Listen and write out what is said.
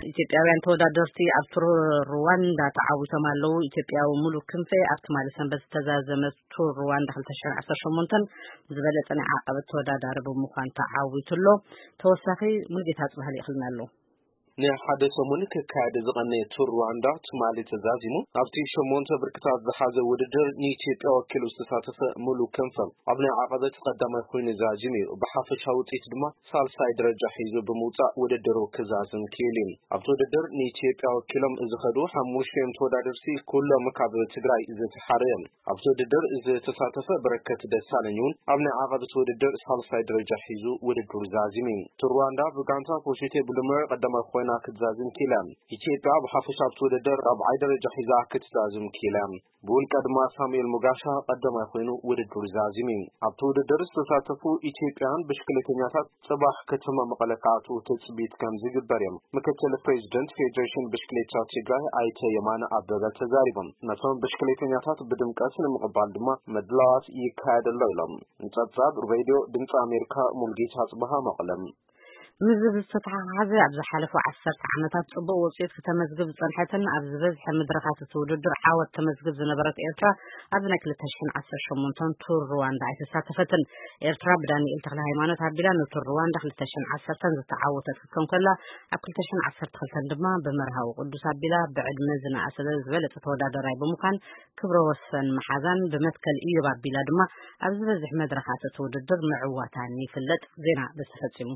ኢትዮጵያውያን ተወዳደርቲ ኣብ ቱር ሩዋንዳ ተዓዊቶም ኣለዉ። ኢትዮጵያዊ ሙሉ ክንፈ ኣብ ትማሊ ሰንበት ዝተዛዘመ ቱር ሩዋንዳ ክልተ ሽሕን ዓሰርተ ሸሞንተን ብዝበለጸ ናይ ዓቐበት ተወዳዳሪ ብምዃን ተዓዊቱ ኣሎ። ተወሳኺ ሙሉጌታ ጽባህ ልኢኽልና ኣሎ። ንሓደ ሰሙን ክካየድ ዝቐነየ ቱር ሩዋንዳ ትማሊ ተዛዚሙ። ኣብቲ ሸሞንተ ብርክታት ዝሓዘ ውድድር ንኢትዮጵያ ወኪሉ ዝተሳተፈ ሙሉ ክንፈ ኣብ ናይ ዓቐበት ቀዳማይ ኮይኑ ዛዚሙ እዩ። ብሓፈሻ ውፅኢት ድማ ሳልሳይ ደረጃ ሒዙ ብምውፃእ ውድድሩ ክዛዝም ክኢሉ እዩ። ኣብቲ ውድድር ንኢትዮጵያ ወኪሎም ዝኸዱ ሓሙሽቲኦም ተወዳደርቲ ኩሎም ካብ ትግራይ ዝተሓረ እዮም። ኣብቲ ውድድር ዝተሳተፈ በረከት ደሳለኝ እውን ኣብ ናይ ዓቐበት ውድድር ሳልሳይ ደረጃ ሒዙ ውድድሩ ዛዚሙ እዩ። ቱር ሩዋንዳ ብጋንታ ፖሽቴ ብሉመር ቀዳማይ ኮይና ክትዛዝም ክኢላ። ኢትዮጵያ ብሓፈሻ ኣብቲ ውድድር ራብዓይ ደረጃ ሒዛ ክትዛዝም ክኢላ። ብውልቀ ድማ ሳሙኤል ሙጋሻ ቀዳማይ ኮይኑ ውድድሩ ዛዚሙ እዩ። ኣብቲ ውድድር ዝተሳተፉ ኢትዮጵያውያን ብሽክሌተኛታት ጽባሕ ከተማ መቐለ ክኣትዉ ትጽቢት ከም ዝግበር እዮም ምክትል ፕሬዚደንት ፌዴሬሽን ብሽክሌታ ትግራይ ኣይተ የማነ ኣበበ ተዛሪቦም። ነቶም ብሽክሌተኛታት ብድምቀት ንምቕባል ድማ ምድላዋት ይካየድ ኣሎ ኢሎም። ንጸብጻብ ሬድዮ ድምፂ ኣሜሪካ ሙልጌታ ጽበሃ መቐለም። ምስ እዚ ዝተተሓሓዘ ኣብ ዝሓለፉ ዓሰርተ ዓመታት ጽቡቕ ውጽኢት ክተመዝግብ ዝጸንሐትን ኣብ ዝበዝሐ መድረኻት እቲ ውድድር ዓወት ተመዝግብ ዝነበረት ኤርትራ ኣብዚ ናይ ክልተ ሽሕን ዓሰርተ ሸሞንተን ቱር ሩዋንዳ ኣይተሳተፈትን። ኤርትራ ብዳንኤል ተክለ ሃይማኖት ኣቢላ ንቱር ሩዋንዳ ክልተ ሽሕን ዓሰርተን ዝተዓወተት ክትከውን ከላ ኣብ ክልተ ሽሕን ዓሰርተ ክልተን ድማ ብመርሃዊ ቅዱስ ኣቢላ ብዕድመ ዝነኣሰ ዝበለጸ ተወዳዳራይ ብምዃን ክብረ ወሰን መሓዛን ብመትከል ኢዮብ ኣቢላ ድማ ኣብ ዝበዝሕ መድረኻት እቲ ውድድር ምዕዋታን ይፍለጥ። ዜና በዚ ተፈጺሙ።